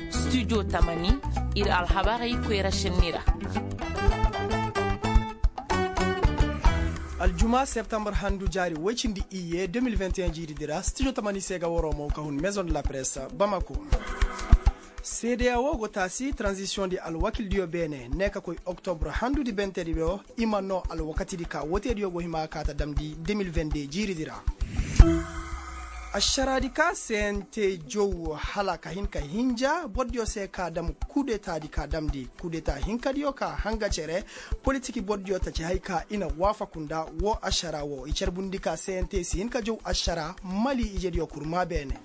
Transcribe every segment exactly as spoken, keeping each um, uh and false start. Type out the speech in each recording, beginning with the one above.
Studio tamani, ir alhabarey koyra šenni ra. Aljuma septembre handu jaari woy cindi iyye deux mille vingt et un jiiridi ra studio tamani se ga waroo mo ka hun maison de la presse bamako. Seedeya wo go taasi transition di alwakildiyo beene ne ka koy oktobur handudi bentedi wo i ma noo alwakatidi ka woteediyo go hima ka ta damndi deux mille vingt deux jiiridi ra. Ašaraadi ka se n te jow hala ka hin ka hinja bordiyo se ka dam kudetaadi ka damndi kudeta hinkadiyo ka hanga cere. Politiki bordiyo ta ci hay ka i na waafaku nda wo ašara wo i carbundi ka se n te si hin ka jow ašara mali ijediyo kurma beene.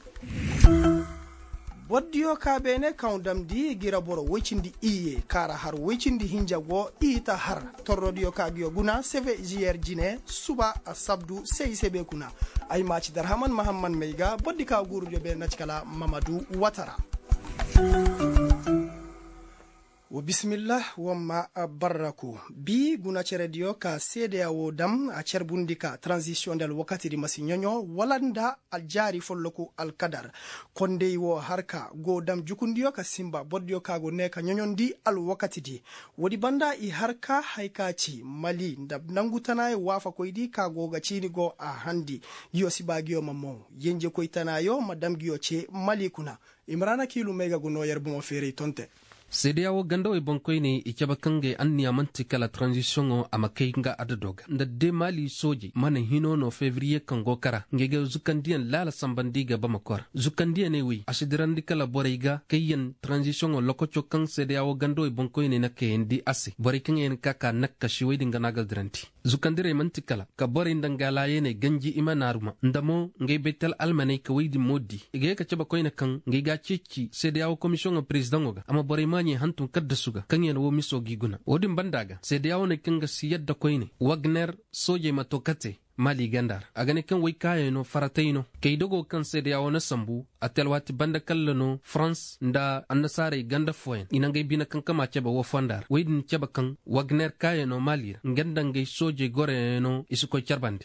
Bordiyo ka beene kaŋ damndi gira boro woy cindi iyye kaara har woy cindi hinja go i ta har torrodiyo ka giyo guna seve jiyer jine suba asabdu se i se be kuna. Ay maaci darhaman mahamman may ga bordi ka guurudiyo beene na ci kala mamadu watara. Wa bisimillah wa ma barraku bi guna cerediyo ka seedeya wo dam a carbundi ka transisiyoŋ da alwakatidi ma si ɲoɲo wala nda aljaari folloku alkadar. Kondey wo har ka go dam jukundiyo ka sinba bordiyo ka go ne ka ɲoɲondi alwakatidi. Woodi banda i har ka hay ka ci mali nda nangu tanaayo waafakoydi ka go ga ciini go a handi. Ngiyo si ba ngiyo ma moŋ yenjekoy tanaayo ma dam ngiyo ce mali kuna. Imrana kiilu may ga gu noo yer bomo feeray tonte. Seedeya wo gandawey boŋkoyney i cabe kaŋ gay anniya man'ti kala taranzisiyoŋo a ma kay nga adado ga nda de maali soojey mana hino no febriye kaŋ go kara ngey ga zukandiyaŋ laala sambandi ga bamako ra. Zukandiyaŋey wey a si dirandi kala borey ga kayyaŋ taranzisiyoŋo lokoco kaŋ seedeya wo gandawey boŋkoyney na kayandi a se borey kaŋ yaŋ ka ka nakkasiwey din ga no a ga dirandi. Zukandirey man'ti kala ka borey nda nga laayaney ganji i ma naaruma nda mo ngey baytal almaney ka wey din mo di i ga ye ka cabe koyne kaŋ ngey ga a ceeci seedeya wo komisiyoŋo perezidaŋo ga a ma borey maaɲey hantum kaddasu ga kaŋ yaŋ wo miso g'i guna wo-din banda ga seedeya wo ne kaŋ ga si yadda koyne wagner soojey ma to kate. Maali ganda ra a ga ne kaŋ wey kaayey no faratey no kay dogo kaŋ seedeya wo na sambu a te alwaati banda kalla no farans nda annasaarey ganda fooyaŋ i na ngey bine kaŋ kama cabe wo fonda ra wey din cabe kaŋ wagner kaayey no maali ra nga nda ngey soojey goroyaŋ no i si koy carbandi.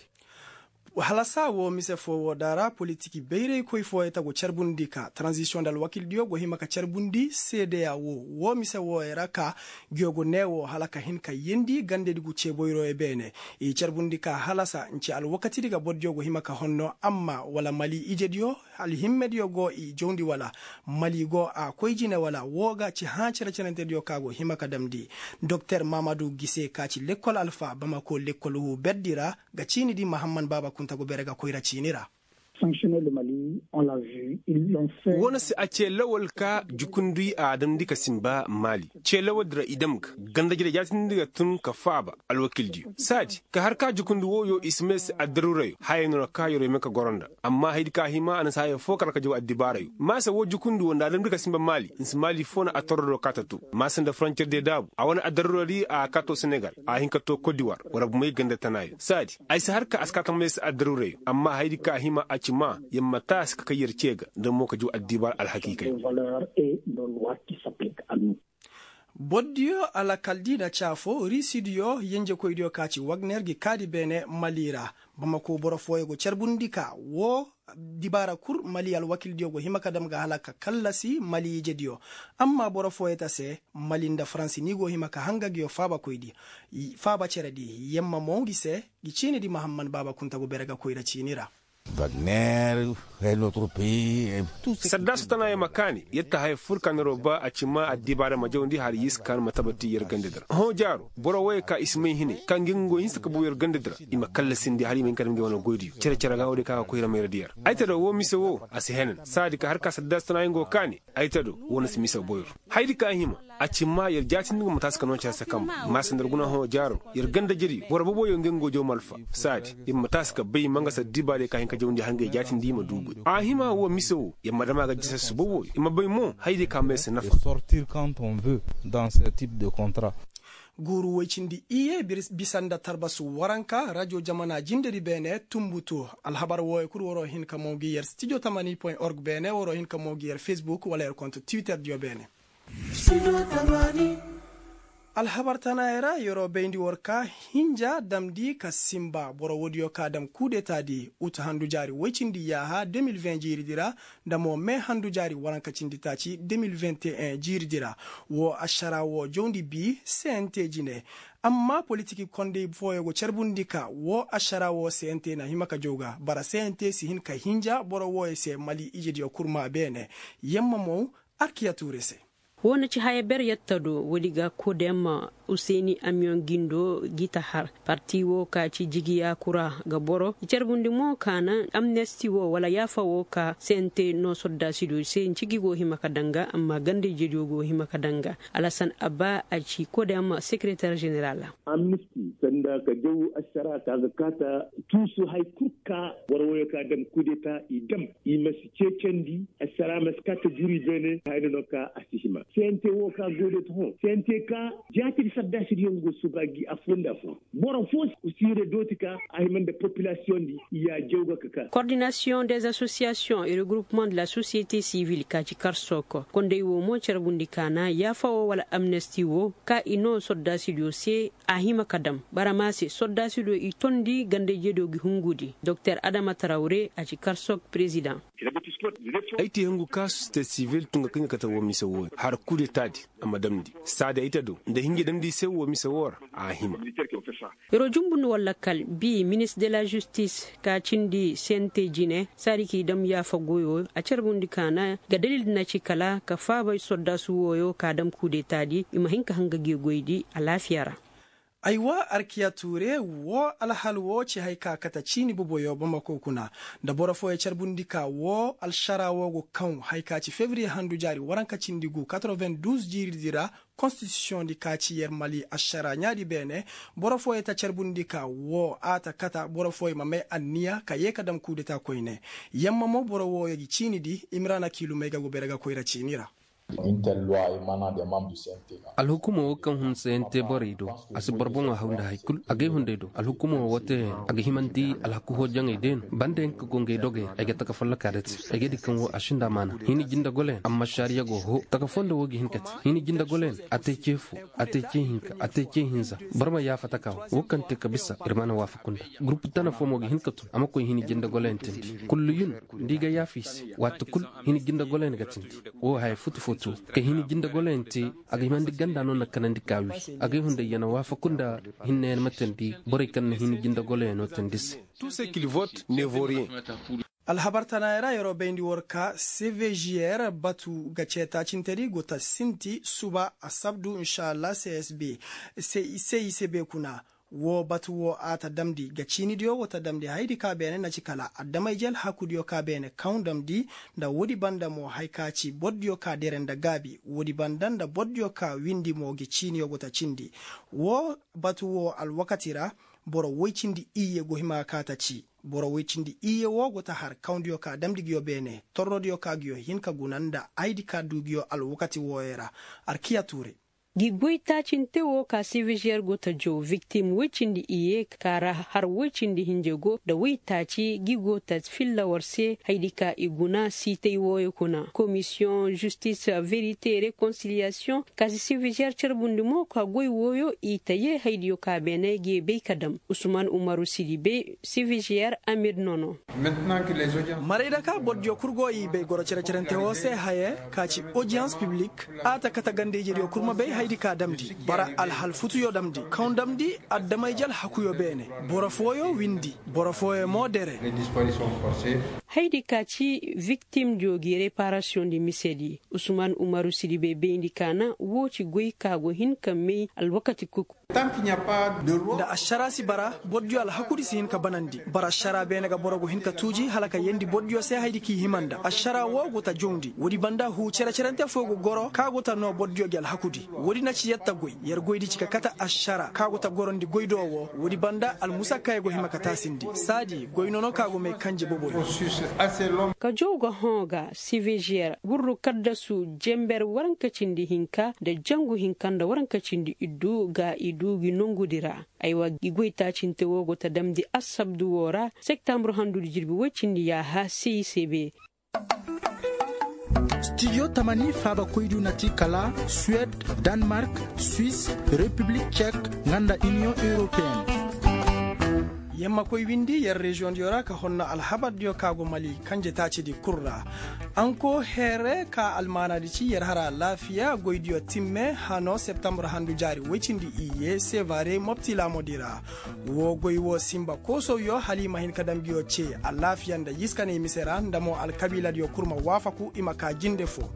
Halasa wo mise foo wo da ra politiki bayraykoy fooyaŋ ta go carbundi ka taranzisiyoŋ nda alwakildiyo go hima ka carbundi seedeya wo wo mise wooyaŋ ra ka ngiyo go nee wo hala ka hin ka yeendi gandedi gu cee boyroyo beene. I carbundi ka halasa nci alwakatidi ga bordiyo go hima ka honno amma wala mali ijediyo alhimmediyo go i jawndi wala mali go a koy jine wala woo ga ci hã cere-cerentediyo ka go hima ka damndi. Doktor mamadu gise ka ci lekkol alfa bamako lekkol wu berdi ra ga ciini di mahamman baaba kunta go bere ga koyra ciini ra. Wo no se a ce lawal ka jukundi a damndi ka sinba maali ce lawal di ra i dam ga ganda jire jaatindi ga tun ka faaba alwakildiyo saadi ka har ka jukundi wooyo i si may se addaruurayo haya no ra ka yeroo may ka goro nda amma haydi ka hima a na si haya foo kar ka jaw addibaarayo maasa woo jukundi woo nda a damndi ka sinba maali nda si maali foo na a torro do ka ta to maasa nda farancer de daabu a wane addaruuradi a ka to senegal a hin ka to kodiwar war bumey ganda tanaayo saadi ay si har ka a si ka tamay se addaruurayo amma haydi ka hima a ci maa yer ma taasi ka kay yer cee ga nda mo ka jaw addibaara alhakiikay. Bordiyo alakal di na caafo risidiyo yenjekoydiyo ka ci wagner gi kaadi beene mali ra. Bamako boro fooyo go carbundi ka woo dibaara kul mali alwakildiyo go hima ka dam ga hala ka kallasi mali ijediyo. Amma boro fooyo ta se mali nda faransi ni go hima ka hanga giyo faabakoydi faaba ceredi yemma mo ngi se. Gi ciini di mahamman baaba kunta go bere ga koyra ciini ra. Wagner. Saddaasu tana yer ma kaani yer ta haya fur ka neroo ba a ci maa addibaara ma jawndi hala yer si kaanu ma tabati yer gandadi ra hõ jaaro boro wooyo ka i si may hinay ka ngi nga go hinsa ka bow yer gandadi ra i ma kallasindi hala i ma hin ka dam ngey wane goydiyo cere-cere ga woodiyo ka ga koyra mayradiyo ra ay ta do woo mise woo a si henan saadi ka har ka saddaasu tana yer nga go kaani. Ay ta do woo na si mise boyro haydi ka hima a ci maa yer jaatindi nga ma taasi ka noo care se kamba maasa nda yer guna hõ jaaro yer ganda jiri boro boboyo nga nga go jaw malfa saadi yer ma taasi ka bay mangasa dibaarey ka hin ka jawndi hala ngey jaatindi i ma du goy a hima woo mise woo yer ma dam a ga jisa si boboyo i ma bay mo haydi ka may se nafa. Sortir quand on veut dans ce type de contrat. Guuru woy cindi iyye bisa nda tarbasu waranka radio jamana jindedi beene tumbutu. Alhabar wooyo kul waroo hin ka moo ngi yer studio tamani point org beene waroo hin ka moo ngi yer facebook wala yer konto twitter diyo beene. Alhabar tanaayey ra yeroo bayndi war ka hinja damndi ka sinba boro woodiyo ka dam kudetaadi utu handu jaari woy cindi yaaha de mil veŋ jiiridi ra, nda mo me handu jaari waranka cindi taaci de mil veŋ jiiridi ra. Woo ašaraa woo jawndi bii sente jine. Amma politik kondey fooyoo go carbundi ka woo ašaraa woo sente na hima ka jaw ga bara sente si hin ka hinja boro wooyoo se mali ijediyo kurmaa beene. Yamma mo arkiya tuure se. Woo na ci haya ber yatta do woodi ga kodem useni amiyoŋ gindo gi ta har. Parti woo ka ci jigiya kura ga boro i carbundi mo ka na amnesti woo wala yaafa woo ka sente no soddaasidiyo se nci gi go hima ka daŋ ga amma ganda ijediyo go hima ka daŋ ga. Alasan abba a ci kodem sekereter ženeral. Amnesti sanda ka jaw ašaraa ka ga kaata tuusu haya kul ka boro wooyoo ka dam kudeta i dam i ma si ceecandi. Ašaraa ma si kaata jiri beene hayna no ka a si hima sente woo ka goy da ta hõ sente ka jaatidi saddaasidiyo nga go suba gi afoo nda afoo. Boro foo si yere dooti ka a hima nda popilasiyoŋ di i y'a jaw ga ka ka. Kordinasiyoŋ des asosiyasiyoŋ et regroupement de la sosiyete sivil ka ci karsoko kondey woo mo carbundi ka na yaafa woo wala amnesti woo ka i noo soddaasidiyo se. A hima ka dam barama se soddaasidiyo i tondi ganda ijediyo gi hungudi doktor adama tarawre a ci karsok perezidaŋ. Ay te hungu ka sosiyete sivil tun ga kaŋ ga kate woo mise wooyo har kudetaadi a ma damndi saadi ay te do nda hinja damndi i se woo mise woo ra. A hima. Yeroo jumbundi walla kal bii minis de la žistis ka cindi sente jine saadi k'i dam yaafa goyoo a carbundi ka na ga dalil na ci kala ka faabay soddaasu wooyoo ka dam kudetaadi i ma hin ka hanga gi goydi alaafiya ra. Aywa arkiya tuure woo alhal woo ci hay ka kate ciini boboyoo bamako kuna nda boro fooyoo carbundi ka woo alšaraa woo go kaŋ hay ka ci febriye handu jaari waranka cindi gu katroven duuz jiiridi ra. Konstitisiyoŋ di ka ci yer mali ašaraa ɲaadi beene. Boro fooyoo ta carbundi ka woo a ta kata boro fooyoo ma may anniya ka yee ka dam kuudetaa koyne. Yamma mo boro wooyoo gi ciini di imrana kiilumey ga go bere ga koyra ciini ra. Alhukumoo woo kaŋ hun sayante borey do a si boro boŋo haw nda hay kul agay hunday do alhukumoo woo teeyaŋ a ga himandi alhaku hoojaŋey day no banda yaŋ ka go ngey dogey ra ay ga taka follokaa da te. Ay ga di kaŋ woo a sinda maana hini jinde goloyaŋ amma ašaariya go hoo taka foo nda woo ga hin ka te hini jinde goloyaŋ a te cee foo a te cee hinka a te cee hinza. Boro ma yaafa takaa woo woo kaŋ te ka bisa ir mana waafaku nda gurupu tana foo mo ga hin ka tun a ma koy hini jinde goloyaŋ teendi. Kullu yun nda i ga yaafa i se waati kul hini jinde goloyaŋ ga teendi. Woo haya futu futu ka hini jinde goloyaŋ te a ga himandi ganda no na kanandi ka wii. Agay hunday ya na waafaku nda hinne ya na ma teendi borey kaŋ na hini jinde goloyaŋo teendi se. Alhabar tanaayey ra yeroo bayndi war ka cvgr batu ga ceetaacintedi go ta sinti suba asabdu inšalla csb. Cicb kuna. Woo batu woo a ta damndi ga ciinidiyo go ta damndi hayadi ka beene na ci kala adama-ije alhakudiyo ka beene kaŋ damndi. Nda woodi banda mo hay ka ci bordiyo ka dere nda gaabi woodi banda nda bordiyo ka windi mo gi ciiniyo go ta cindi. Woo batu woo alwakati ra boro woy cindi iyye go hima ga ka ta ci. Boro woy cindi iyye woo go ta har kawndiyo ka damndi nguyo beene torrodiyo ka nguyo hin ka guna nda hayadi ka du nguyo alwakati wooyo ra. Arkiya tuure. Gi goytaacinte woo ka cvgr go ta jow viktim woy cindi iyye ka ra har woy cindi hinja go nda woytaaci gi go ta filla war se hayadi ka i guna siitay wooyo kuna komisiyoŋ žistis verite rekonsiliyasiyoŋ ka si cvgr carbundi mo ka goy wooyo i ta yee hayadiyo ka beene gi bay ka dam. Usman umaru sidibe cvgr amir nono. Maray da ka bordiyo kul go i bay goro cere-cerente woo se haye ka ci odiyans piblik. A ta kate ganda-ijediyo kul ma bay hayadi ka damndi bara alhal futuyo damndi kaŋ damndi adama-ije alhakuyo beene. Boro fooyo windi boro fooyo mo dere. Hayadi ka ci viktimdiyo gi reparasiyoŋdi misedi usman umaru sidibe bayndi ka na woo ci goy ka go hin ka may alwakati kuku. Nda ašaraa si bara bordiyo alhakudi si hin ka banandi bara ašaraa beene ga boro go hin ka tuuji hala ka yeendi bordiyo se hayadi k'i hima nda ašaraa woo go ta jawndi woodi banda huu cere-cerante foo go goro ka go ta noo bordiyo gi alhakudi. Woodi na ci yer ta goy yer goydi ci ka kate ašaraa ka go ta gorondi goydoo woo woodi banda almusa kaŋ yer go hima ka taasindi saadi goy nono ka go may kanje boboyo. Ka jaw ga hõ ga cvgr gurru kaddasu jenber waranka cindi hinka nda jangu hinka nda waranka cindi iddu ga i du gi nongudi ra. Aywa gi goytaacinte woo go ta damndi assabdu woo ra septambur handudi jirbi woy cindi yaaha cicb. Studio tamani faabakoydu na ti kala suwed, danmark, swis, repiblik cek, nga nda iniyoŋ europeen. Yer ma koy windi yer reziyoŋdiyo ra ka honno alhabardiyo ka go mali kanje taacidi kul ra. Anko heere ka almaanaadi ci yer hara alaafiya goydiyo timme hano septambur handu jaari woy cindi iyye sevare mopti laamodi ra. Woo goy woo sinba koosowyo hala i ma hin ka dam ngiyo cee alaafiya nda yiskaney mise ra nda mo alkabiiladiyo kul ma waafaku i ma kaa jinde foo.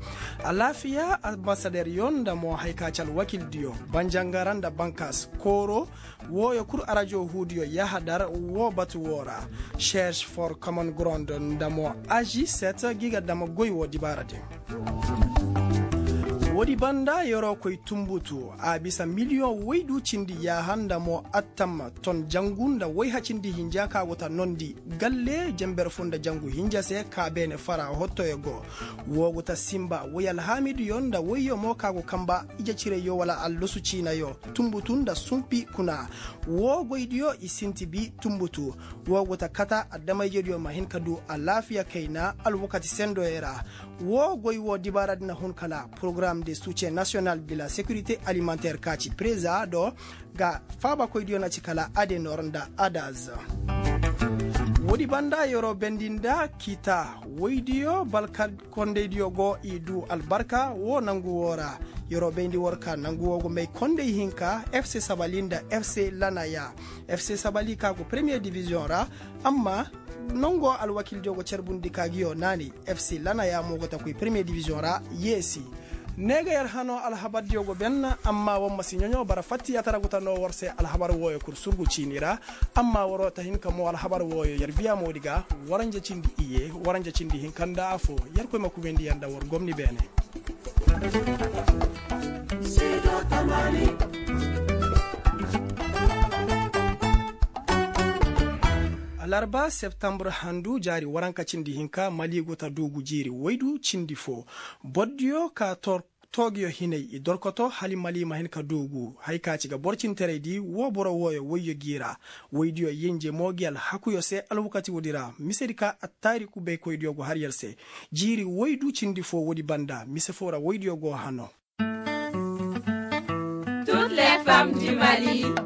Alaafiya ambasaderyo nda mo haya ka ci alwakildiyo banjangara nda bankaas kooro. Wooyo kul arajo huudiyo yahadar woo batu woo ra. Seerš for komon gorond nda mo aži set gi ga dam goy woo dibaara din. Woodi banda yer'o koy tunbutu a bisa miliyoŋ woydu cindi yaaha nda mo attam ton jangu nda woyha cindi hinja ka go ta nondi galle jenber foo nda jangu hinja se ka beene fara hottoyo go. Woo go ta sinba woy alhaamidiyo nda woyyo mo ka go kanba ije cirayyo wala allosu ciinayo tunbutu nda sunpi kuna. Woo goydiyo i sinti bi tunbutu. Woo go ta kata adama-ijediyo ma hin ka du alaafiya kayna alwakati sendoyo ra. Woo goy woo dibaaradi na hun kala porogaram de succee nasiyonal de la sekirite alimanteer ka ci pereza do ga faabakoydiyo na ci kala adenor nda adaz. Woodi banda yer'o bendi nda kiita woydiyo balka kondaydiyo go i du albarka woo nangu woo ra. Yer'o bayndi war ka nangu woo go may konday hinka fc sabali nda fc lanaya. Fc sabali ka go premiyer diviziyoŋ ra. Amma nango alwakildiyo go carbundi ka ngiyo naanay. Fc lanaya mo go ta koy premiyer diviziyoŋ ra. Yeesi. Ne ga yer hano alhabardiyo go ben. Amma war ma si ɲoɲo bara fattiyatara go ta noo war se alhabar wooyo kul surgu ciini ra. Amma war'o ta hin ka moo alhabar wooyo yer biya moodi ga. Waranja cindi iye waranja cindi hinka nda afo. Yerkoy ma kubayndi yer nda war gomni beene. Alarba septambur handu jaari waranka cindi hinka mali go ta duugu jiiri woydu cindi foo. Bordiyo ka tor toogiyo hinay i dorkoto hala mali ma hin ka duugu haya ka ci ga boro cintaraydi woo boro wooyo woyyo g'i ra. Woydiyo yenje mo ngi alhakuyo se alwakati woodi ra misedi ka attaariku baykoydiyo go har yer se. Jiiri woydu cindi foo woodi banda mise foo ra woydiyo go hano.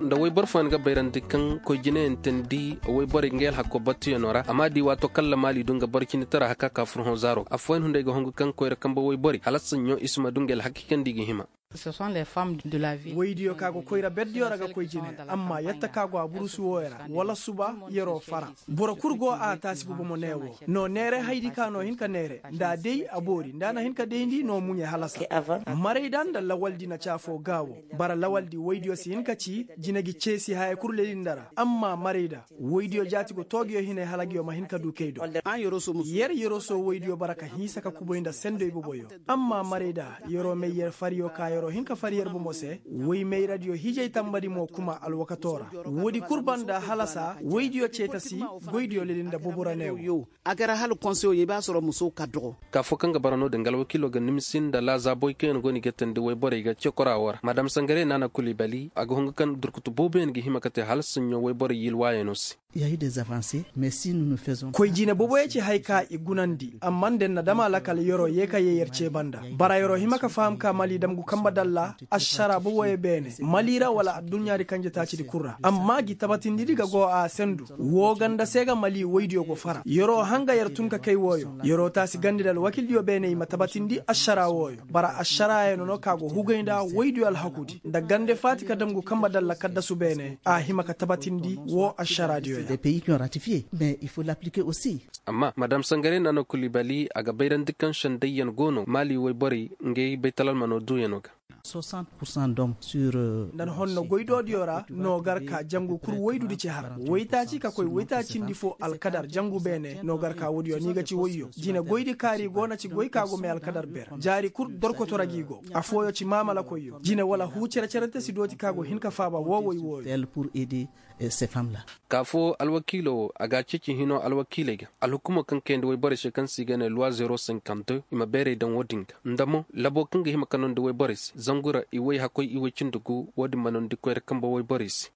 Nda woyboro fooyaŋ ga bayrandi kaŋ koy jinayaŋ teendi woyborey ngey alhakko battuyaŋo ra a ma di waato kaŋ lamaali du nga boro cindi tara haka ka fur hõ zaaro ga affooyaŋ hunday ga hongu kaŋ koyra kambe woyborey hala saɲɲo i si ma du ngey alhakki kaŋ nda i ga hima. Woydiyo ka go koyra berdiyo ra ga koy jine amma yatta ka go a burusu wooyo ra wala suba yer'o fara. Boro kul go a taasi bobo mo ne wo no neere haydi ka no hin ka neere nda a day a boori nda a na hin ka dayndi no muɲe halasa. Marayda nda lawaldi na ci afoo gaawo. Bara lawaldi woydiyo si hin ka ci jine gi ceesi haya kul lelinda ra amma marayda woydiyo jaati go toogiyo hinay hala ngiyo ma hin ka du kay do. Yer yerosoo woydiyo bara ka hinsa ka kubay nda sendoy boboyo. Amma marayda yer'o may yer fariyo ka yer'o hin ka fari yer bomo se. Woy mayradiyo hijay tambadi mo kuma alwakatoo ra. Woodi kul banda halasa woydiyo ceetasi goydiyo leli nda bobo ra neewo. A gar hala konseyo i b'a soro muso ka dogo. Ka foo kaŋ ga bara no-din ga alwakiilo ga nimisi nda laazaabey kaŋ yaŋ go no i ga teendi woyborey ga cekoraa woo ra madam sangare naana kuli bali a ga hungu kaŋ durkutu booboyaŋ ga hima ka te hala saɲɲo woyborey yilwaayaŋo se. Koy jine boboyo ci haya ka i gunandi amma nda yer na dam a lakal yer'o yee ka yee yer cee banda. Bara yer'o hima ka faham ka mali damgu kambe dalla ašaraa boboyo beene mali ra wala adduɲɲaadi kanje taacidi kul ra amma gi tabatindidi ga go a sendu. Woo ganda se ga mali woydiyo go fara yer'o hanga yer tun ka kay wooyo yer'o taasi gandi nda alwakildiyo beene i ma tabatindi ašaraa wooyo. Bara ašaraayaŋo no ka go hugay nda woydiyo alhakudi nda gande faati ka damgu kambe dalla kaddasu beene a hima ka tabatindi woo ašaraadiyo ya. Amma madam sangare nano kulibali a ga bayrandi kaŋ sendayyaŋ go no maali woyborey ngey baytalalmano duuyaŋo ga. Nda ni honno goydoodiyo ra no gar ka jangu kul woydudi ci har woytaaci ka koy woytaacindi fo alkadar jangu beene no gar ka woodiyo ni ga ci woyyo jine goydi kaari go na ci goy ka go may alkadar ber jaari kul dorkoto ra g'i go. Afooyo ci maamalakoyyo jine wala huu cere-cerente si dooti ka go hin ka faaba woo woy wooyo. Ka foo alwakiilo woo a ga a ceeci hinoo alwakiiley ga alhukumoo kaŋ kayandi woyborey se kaŋ se i ga nee luwa zero cinquante deux i ma beerey daŋ woo din ga nda mo laboo kaŋ ga hima ka noondi woyborey se zangu ra i woy hakkoy i woy cindi gu woo din ma noondi koyra kambe woyborey se.